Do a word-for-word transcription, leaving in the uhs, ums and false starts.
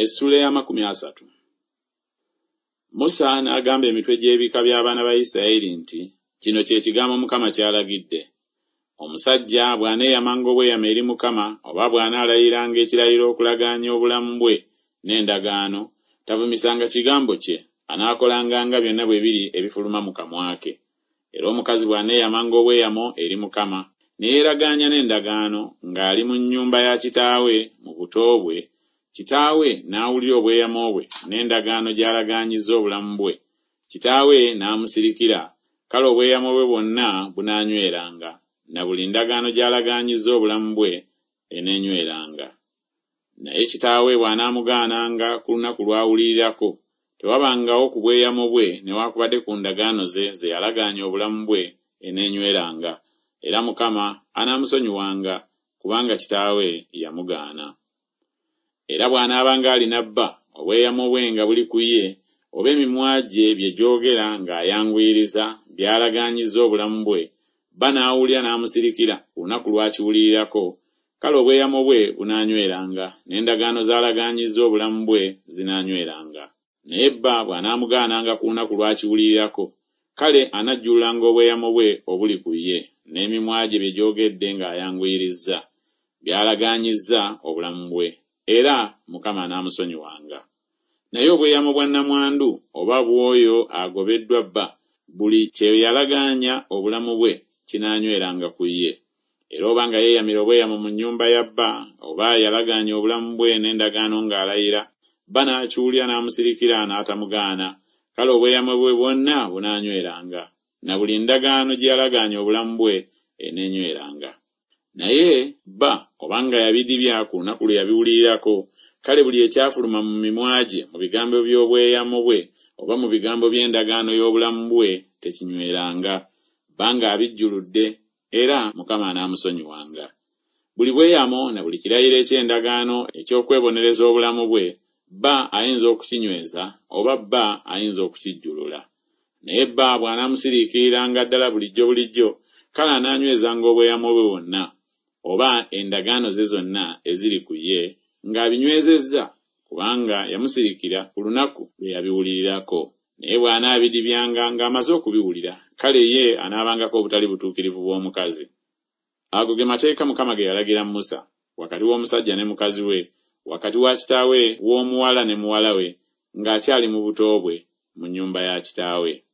Essuula ey'amakumi asatu. Musa n'agamba emitwe gy'ebika by'abaana ba Isirayiri nti, Kino kye kigambo Mukama ky'alagidde. Omusajja bw'aneeyamanga obweyamo eri Mukama, oba bw'anaalayiranga ekirayiro okulagaanya obulamu bwe n'endagaano, tavumisanga kigambo kye, anaakolanga nga byonna bwe biri ebifuluma mu kamwa ke. Era omukazi bw'aneeyamanga obweyamo eri Mukama, ne yeeragaanya n'endagaano ng'ali mu nnyumba ya kitaawe mu buto bwe, kitaawe n'awulira obweyamo bwe n'endagaano gy'alagaanyizza obulamu bwe, kitaawe n'amusirikira, kale obweyamo bwe bwonna bunaanyweranga, na buli ndagaano gy'alagaanyizza obulamu bwe eneenyweranga. Naye kitaawe bw'anaamugaananga ku lunaku lw'awulirirako, tewabangawo ku bweyamo bwe newaakubadde ku ndagaano ze ze yalagaanya obulamu bwe eneenyweranga, era Mukama anaamusonyiwanga, kubanga kitaawe yamugaana. Era bw'anaabanga alina bba, obweyamo bwe nga buli ku ye, oba emimwa gye bye gyogera ng'ayanguyiriza by'alagaanyizza obulamu bwe, bba n'awulira n'amusirikira ku lunaku lw'akiwulirirako, kale obweyamo bwe bunaanyweranga, n'endagaano z'alagaanyizza obulamu bwe zinaanyweranga. Naye bba bw'anaamugaananga ku lunaku lw'akiwulirirako, kale anajjululanga obweyamo bwe obuli ku ye, n'emimwa gye bye gyogedde ng'ayanguyirizza, by'alagaanyizza obulamu bwe, era Mukama anaamusonyiwanga. Naye obweyamo bwa nnamwandu oba bw'oyo agobeddwa bba, buli kye yalagaanya obulamu bwe kinaanyweranga ku ye. Era oba nga yeeyamira obweyamo mu nnyumba ya bba, oba yalagaanya obulamu bwe n'endagaano ng'alayira, bba n'akiwulira n'amusirikira n'atamugaana, kale obweyamo bwe bwonna bunaanyweranga, na buli ndagaano gye yalagaanya obulamu bwe eneenyweranga. Naye bba obanga yabidibya ku lunaku lwe yabiwulirirako, kale buli ekyafuluma mu mimwa gye mu bigambo by'obweyamo bwe oba mu bigambo by'endagaano y'obulamu bwe tekinyweranga, bba ng'abijjuludde, era Mukama anaamusonyiwanga. Buli bweyamo na buli kirayiro eky'endagaano eky'okwebonereza obulamu bwe, bba ayinza okukinyweza oba bba ayinza okukijjulula. Naye bba bw'anaamusiriikiriranga ddala bulijjo bulijjo, kale anaanywezanga obweyamo bwe bwonna, oba endagaano ze zonna eziri ku ye, ng'abinywezezza, kubanga yamusirikira ku lunaku lwe yabiwulirirako. Naye bw'anaabidibyanga ng'amaze okubiwulira, kale ye anaabangako obutali butuukirivu bw'omukazi. Ago ge mateeka Mukama ge yalagira Musa, wakati w'omusajja ne mukazi we, wakati wa kitaawe w'omuwala ne muwala we, ng'akyali mu buto bwe mu nnyumba ya kitaawe.